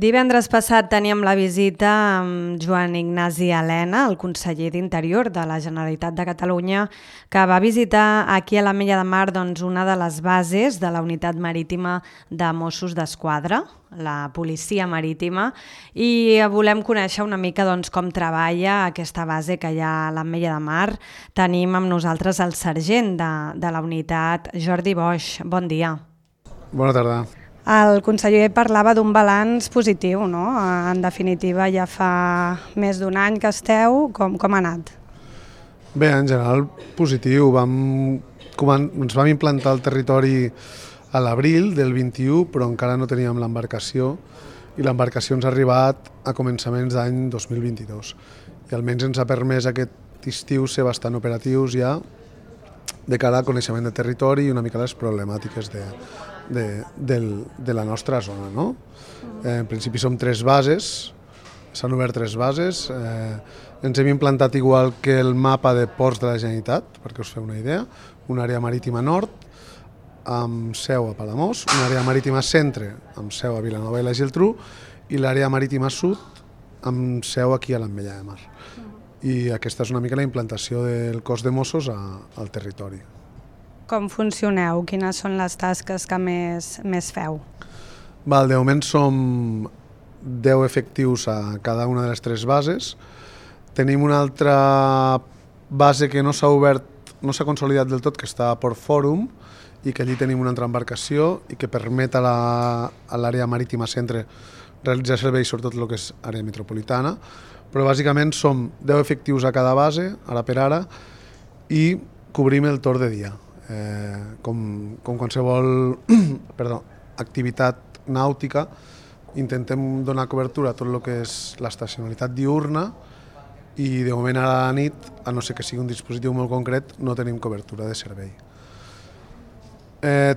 Divendres passat teníem la visita amb Joan Ignasi Elena, el conseller d'Interior de la Generalitat de Catalunya, que va visitar aquí a l'Ametlla de Mar una de les bases de la unitat marítima de Mossos d'Esquadra, la policia marítima, i volem conèixer una mica com treballa aquesta base que hi ha a l'Ametlla de Mar. Tenim amb nosaltres el sergent de la unitat, Jordi Boix. Bon dia. Bona tarda. El conseller parlava d'un balanç positiu, no? En definitiva, ja fa més d'un any que esteu. Com ha anat? Bé, en general, positiu. Ens vam implantar al territori a l'abril del 21, però encara no teníem l'embarcació, i l'embarcació ens ha arribat a començaments d'any 2022. I almenys ens ha permès aquest estiu ser bastant operatius ja de cara al coneixement de territori i una mica les problemàtiques de la nostra zona, no? En principi som 3 bases, s'han obert 3 bases, ens hem implantat igual que el mapa de ports de la Generalitat, perquè us feu una idea, una àrea marítima nord amb seu a Palamós, una àrea marítima centre amb seu a Vilanova i la Geltrú i l'àrea marítima sud amb seu aquí a l'Ametlla de Mar. I aquesta és una mica la implantació del cos de Mossos al territori. Com funcioneu? Quines són les tasques que més feu? De moment som 10 efectius a cada una de les 3 bases. Tenim una altra base que no s'ha obert, no s'ha consolidat del tot, que està a Port Fòrum, i que allí tenim una altra embarcació i que permet a l'àrea marítima centre realitzar serveis, sobretot el que és àrea metropolitana, però bàsicament som 10 efectius a cada base, ara per ara, i cobrim el torn de dia. Com qualsevol activitat nàutica, intentem donar cobertura a tot el que és l'estacionalitat diurna i de moment a la nit, a no ser que sigui un dispositiu molt concret, no tenim cobertura de servei.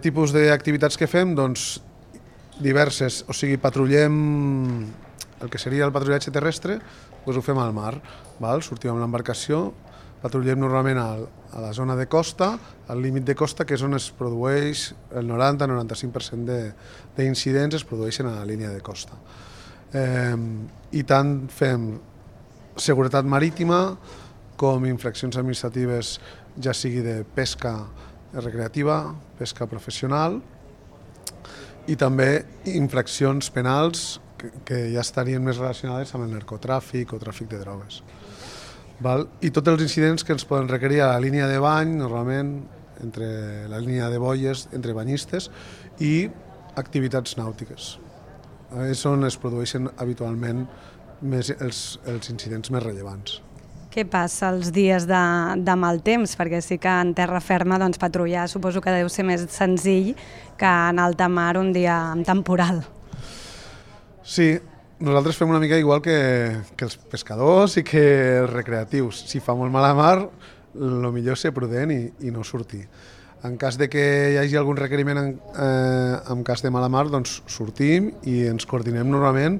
Tipus d'activitats que fem? Doncs diverses, o sigui, patrullem el que seria el patrullatge terrestre, doncs ho fem al mar, sortim amb l'embarcació, patrullem normalment a la zona de costa, al límit de costa, que és on es produeix el 90-95% d'incidents es produeixen a la línia de costa. I tant fem seguretat marítima com infraccions administratives, ja sigui de pesca recreativa, pesca professional, i també infraccions penals que ja estarien més relacionades amb el narcotràfic o tràfic de drogues. I tots els incidents que ens poden requerir a la línia de bany, normalment entre la línia de boies, entre banyistes, i activitats nàutiques. És on es produeixen habitualment els incidents més rellevants. Què passa els dies de mal temps? Perquè sí que en terra ferma patrullar suposo que deu ser més senzill que en alta mar un dia amb temporal. Sí, nosaltres fem una mica igual que els pescadors i que els recreatius. Si fa molt mala mar, el millor és ser prudent i no sortir. En cas de que hi hagi algun requeriment en cas de mala mar, doncs sortim i ens coordinem normalment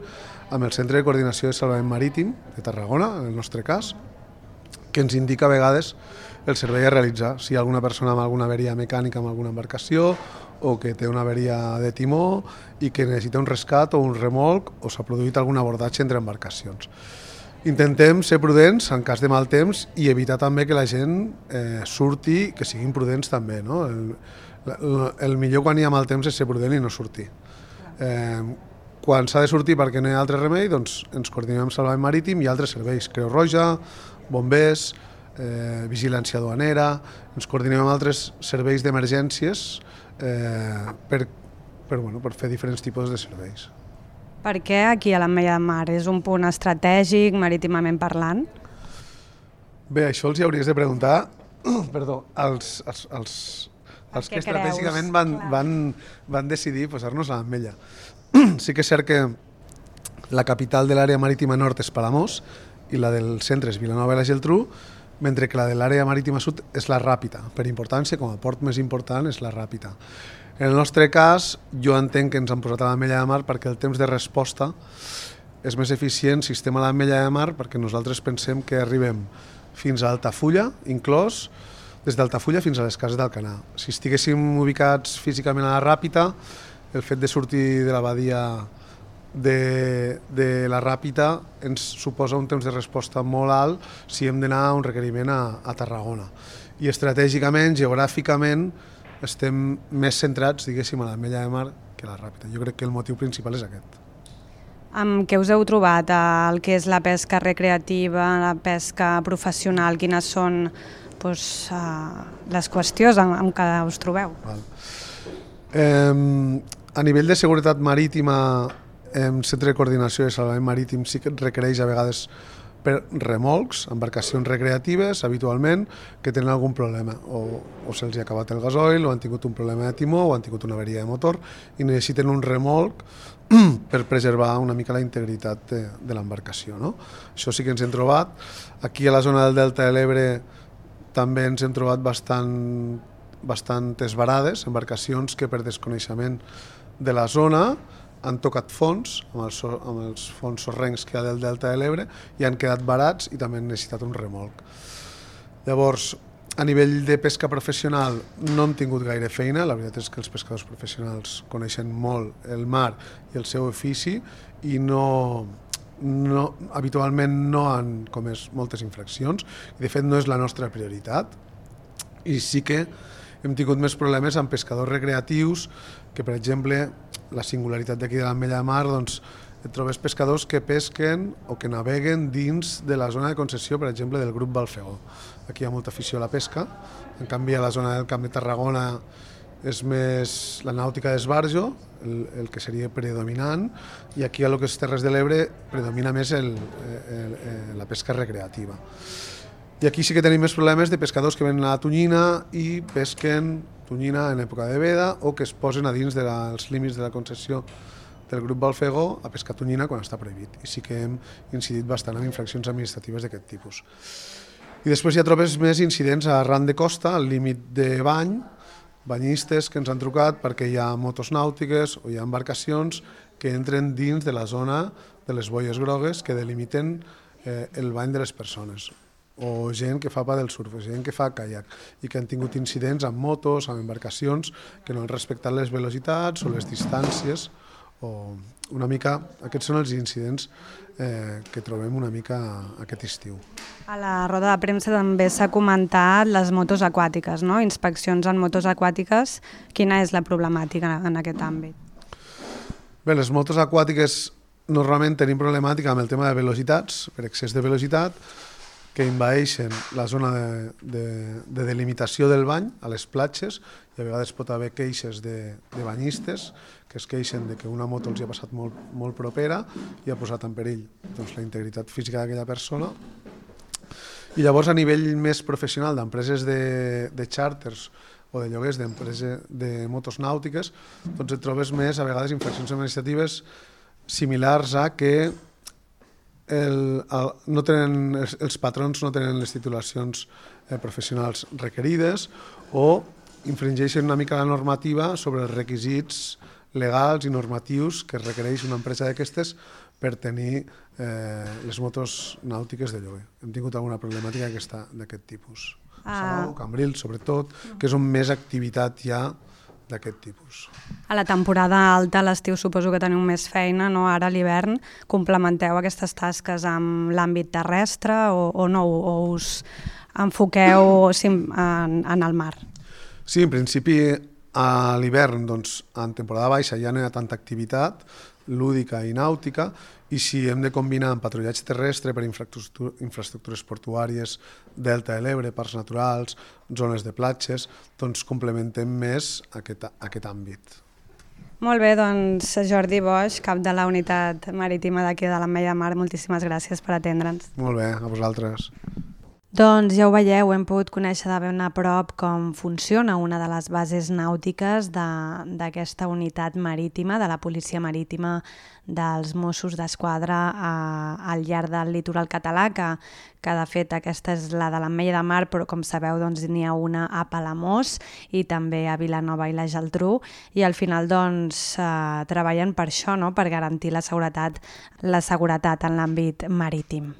amb el Centre de Coordinació de Salvament Marítim de Tarragona, en el nostre cas, que ens indica a vegades el servei a realitzar. Si hi ha alguna persona amb alguna averia mecànica amb alguna embarcació o que té una averia de timó i que necessita un rescat o un remolc o s'ha produït algun abordatge entre embarcacions. Intentem ser prudents en cas de mal temps i evitar també que la gent surti, que siguin prudents també, no? El millor quan hi ha mal temps és ser prudent i no sortir. Quan s'ha de sortir perquè no hi ha altre remei, doncs ens coordinem amb Salvament Marítim i altres serveis, Creu Roja, bombers, vigilància duanera, ens coordinem amb altres serveis d'emergències per fer diferents tipus de serveis. Per què aquí a l'Ametlla de Mar? És un punt estratègic, marítimament parlant? Bé, això els hi hauries de preguntar als que estratègicament van decidir posar-nos a l'Ametlla. Sí que és cert que la capital de l'àrea marítima nord és Palamós i la del centre és Vilanova i la Geltrú, mentre que la de l'àrea marítima sud és la Ràpita. Per importància, com a port més important, és la Ràpita. En el nostre cas, jo entenc que ens han posat a l'Ametlla de Mar perquè el temps de resposta és més eficient si estem a l'Ametlla de Mar, perquè nosaltres pensem que arribem fins a Altafulla, inclòs, des d'Altafulla fins a les Cases d'Alcanar. Si estiguéssim ubicats físicament a la Ràpita, el fet de sortir de la badia de la Ràpita ens suposa un temps de resposta molt alt si hem d'anar a un requeriment a Tarragona. I estratègicament, geogràficament, estem més centrats, diguéssim, a l'Ametlla de Mar que a la Ràpita. Jo crec que el motiu principal és aquest. Amb què us heu trobat? El que és la pesca recreativa, la pesca professional, quines són les qüestions amb què us trobeu? A nivell de seguretat marítima, el Centre de Coordinació de Salvament Marítim sí que requereix a vegades per remolcs, embarcacions recreatives, habitualment, que tenen algun problema. O se'ls ha acabat el gasoil, o han tingut un problema de timó, o han tingut una averia de motor, i necessiten un remolc per preservar una mica la integritat de l'embarcació. No? Això sí que ens hem trobat. Aquí a la zona del Delta de l'Ebre també ens hem trobat bastantes varades, embarcacions que per desconeixement de la zona han tocat fons, amb els fons sorrencs que hi ha del Delta de l'Ebre, i han quedat varats i també han necessitat un remolc. Llavors, a nivell de pesca professional no hem tingut gaire feina, la veritat és que els pescadors professionals coneixen molt el mar i el seu ofici i habitualment no han comès moltes infraccions, i de fet no és la nostra prioritat. I sí que hem tingut més problemes amb pescadors recreatius, que per exemple, la singularitat d'aquí de l'Ametlla de Mar, doncs et trobes pescadors que pesquen o que naveguen dins de la zona de concessió, per exemple, del grup Balfegó. Aquí hi ha molta afició a la pesca, en canvi a la zona del Camp de Tarragona és més la nàutica d'esbarjo, el que seria predominant, i aquí a lo que és Terres de l'Ebre predomina més la pesca recreativa. I aquí sí que tenim més problemes de pescadors que venen a la tonyina i pesquen tonyina en època de veda o que es posen a dins dels límits de la concessió del grup Balfegó a pescar tonyina quan està prohibit. I sí que hem incidit bastant en infraccions administratives d'aquest tipus. I després ja trobes més incidents a ran de costa, al límit de bany, banyistes que ens han trucat perquè hi ha motos nàutiques o hi ha embarcacions que entren dins de la zona de les boies grogues que delimiten el bany de les persones, o gent que fa pa del surf, gent que fa caiac, i que han tingut incidents amb motos, amb embarcacions, que no han respectat les velocitats o les distàncies, o una mica, aquests són els incidents que trobem una mica aquest estiu. A la roda de premsa també s'ha comentat les motos aquàtiques, no? Inspeccions en motos aquàtiques. Quina és la problemàtica en aquest àmbit? Bé, les motos aquàtiques normalment tenim problemàtica amb el tema de velocitats, per excés de velocitat, que envaeixen la zona de delimitació del bany a les platges, i a vegades pot haver queixes de banyistes que es queixen de que una moto els ha passat molt propera i ha posat en perill la integritat física d'aquella persona. I llavors, a nivell més professional d'empreses de xàrters o de lloguers d'empreses de motos nàutiques, doncs et trobes més, a vegades, infraccions administratives similars a que els patrons no tenen les titulacions professionals requerides o infringeixen una mica la normativa sobre els requisits legals i normatius que requereix una empresa d'aquestes per tenir les motos nàutiques de lloguer. Hem tingut alguna problemàtica d'aquest tipus. Salou, Cambrils, sobretot, que és on més activitat hi ha d'aquest tipus. A la temporada alta, a l'estiu, suposo que teniu més feina, no? Ara a l'hivern complementeu aquestes tasques amb l'àmbit terrestre o no? O us enfoqueu en el mar? Sí, en principi a l'hivern, doncs, en temporada baixa ja no hi ha tanta activitat lúdica i nàutica, i si hem de combinar amb patrullatge terrestre per infraestructures portuàries, Delta de l'Ebre, parcs naturals, zones de platges, doncs complementem més aquest àmbit. Molt bé, doncs Jordi Boix, cap de la unitat marítima d'aquí de l'Ametlla de Mar, moltíssimes gràcies per atendre'ns. Molt bé, a vosaltres. Doncs ja ho veieu, hem pogut conèixer de ben a prop com funciona una de les bases nàutiques d'aquesta unitat marítima, de la Policia Marítima dels Mossos d'Esquadra al llarg del litoral català, que de fet aquesta és la de l'Ametlla de Mar, però com sabeu doncs n'hi ha una a Palamós i també a Vilanova i la Geltrú, i al final doncs treballen per això, no? Per garantir la seguretat en l'àmbit marítim.